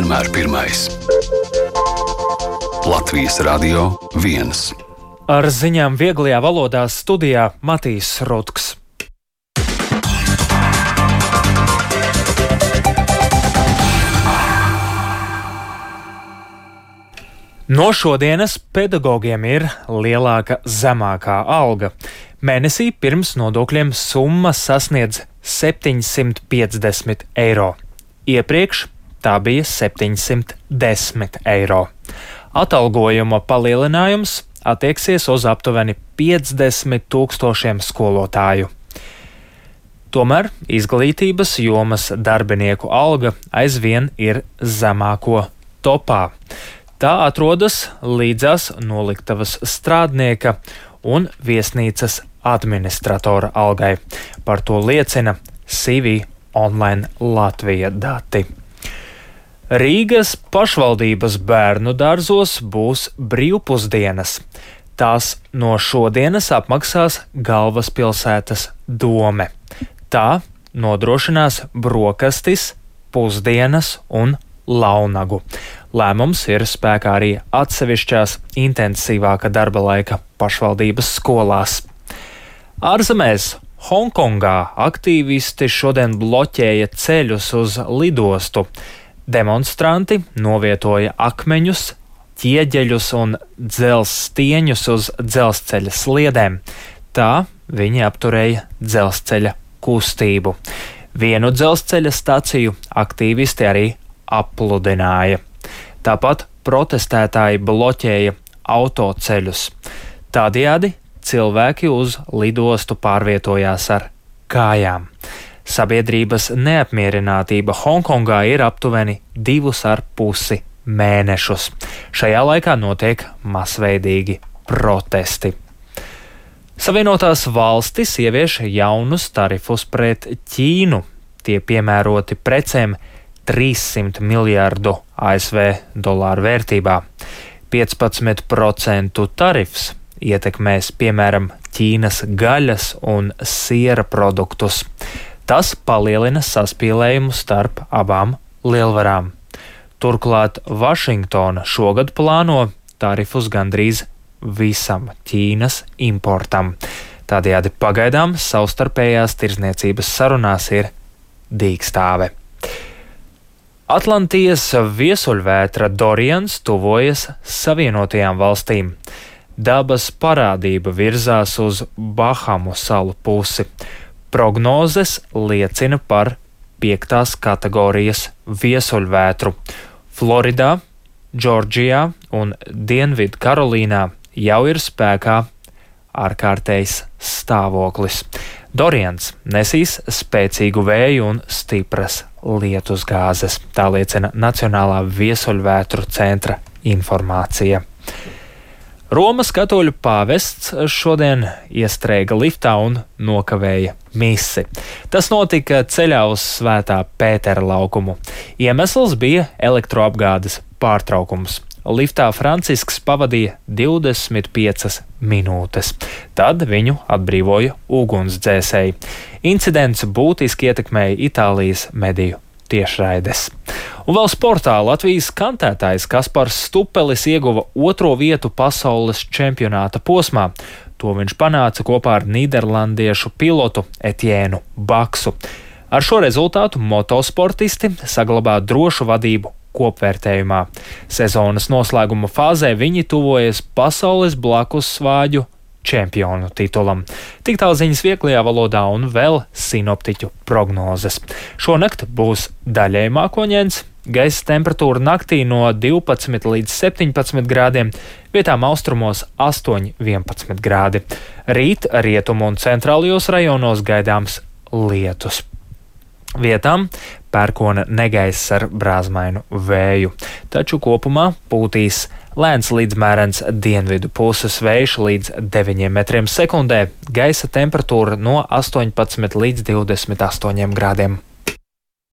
vienmēr pirmais. Latvijas Radio 1. Ar ziņām vieglajā valodā studijā Matīs Rutks. No šodienas pedagogiem ir lielāka zemākā alga. Mēnesī pirms nodokļiem summa sasniedz 750 eiro. Iepriekš tā bija 710 eiro. Atalgojuma palielinājums attieksies uz aptuveni 50 000 skolotāju. Tomēr izglītības jomas darbinieku alga aizvien ir zemāko topā. Tā atrodas līdzās noliktavas strādnieka un viesnīcas administratora algai. Par to liecina CV Online Latvija dati. Rīgas pašvaldības bērnu dārzos būs brīvpusdienas. Tās no šodienas apmaksās galvaspilsētas dome. Tā nodrošinās brokastis, pusdienas un launagu. Lēmums ir spēkā arī atsevišķās intensīvāka darba laika pašvaldības skolās. Ārzemēs Hongkongā aktīvisti šodien bloķēja ceļus uz lidostu. Demonstranti novietoja akmeņus, ķieģeļus un dzelzstieņus uz dzelzceļa sliedēm. Tā viņi apturēja dzelzceļa kustību. Vienu dzelzceļa staciju aktīvisti arī apludināja. Tāpat protestētāji bloķēja autoceļus. Tādējādi cilvēki uz lidostu pārvietojās ar kājām. Sabiedrības neapmierinātība Hongkongā ir aptuveni 2,5 mēnešus. Šajā laikā notiek masveidīgi protesti. Savienotās valstis ievieš jaunus tarifus pret Ķīnu. Tie piemēroti precēm 300 miljārdu ASV dolāru vērtībā. 15% tarifs ietekmēs, piemēram, Ķīnas gaļas un siera produktus. Tas palielina saspīlējumu starp abām lielvarām. Turklāt Vašingtona šogad plāno tarifus gandrīz visam Ķīnas importam. Tādējādi pagaidām savstarpējās tirdzniecības sarunās ir dīkstāve. Atlantijas viesuļvētra Dorians tuvojas Savienotajām valstīm. Dabas parādība virzās uz Bahamu salu pusi. Prognozes liecina par 5. kategorijas viesuļvētru. Floridā, Džordžijā un Dienvidu Karolīnā jau ir spēkā ārkārtējs stāvoklis. Dorians nesīs spēcīgu vēju un stipras lietusgāzes, tā liecina Nacionālā viesuļvētru centra informācija. Romas katoļu pāvests šodien iestrēga liftā un nokavēja misi. Tas notika ceļā uz Svētā Pētera laukumu. Iemesls bija elektroapgādes pārtraukums. Liftā Francisks pavadīja 25 minūtes. Tad viņu atbrīvoja ugunsdzēsēji. Incidents būtiski ietekmēja Itālijas mediju tiešraides. Un vēl sportā Latvijas kantētājs Kaspars Stupelis ieguva 2. vietu pasaules čempionāta posmā. To viņš panāca kopā ar nīderlandiešu pilotu Etiēnu Baksu. Ar šo rezultātu motosportisti saglabā drošu vadību kopvērtējumā. Sezonas noslēguma fāzē viņi tuvojas pasaules blakus svāģu čempionu titulam. Tik tālu ziņas vieglajā valodā un vēl sinoptiķu prognozes. Šonakt būs daļēji mākoņdienas, gaisa temperatūra naktī no 12 līdz 17 grādiem, vietām austrumos 8–11 grādi. Rīt rietumu un centrālajos rajonos gaidāms lietus. Vietām pērkona negaiss ar brāzmainu vēju, taču kopumā pūtīs lēns līdz mērens dienvidu puses vējš līdz 9 metriem sekundē, gaisa temperatūra no 18 līdz 28 grādiem.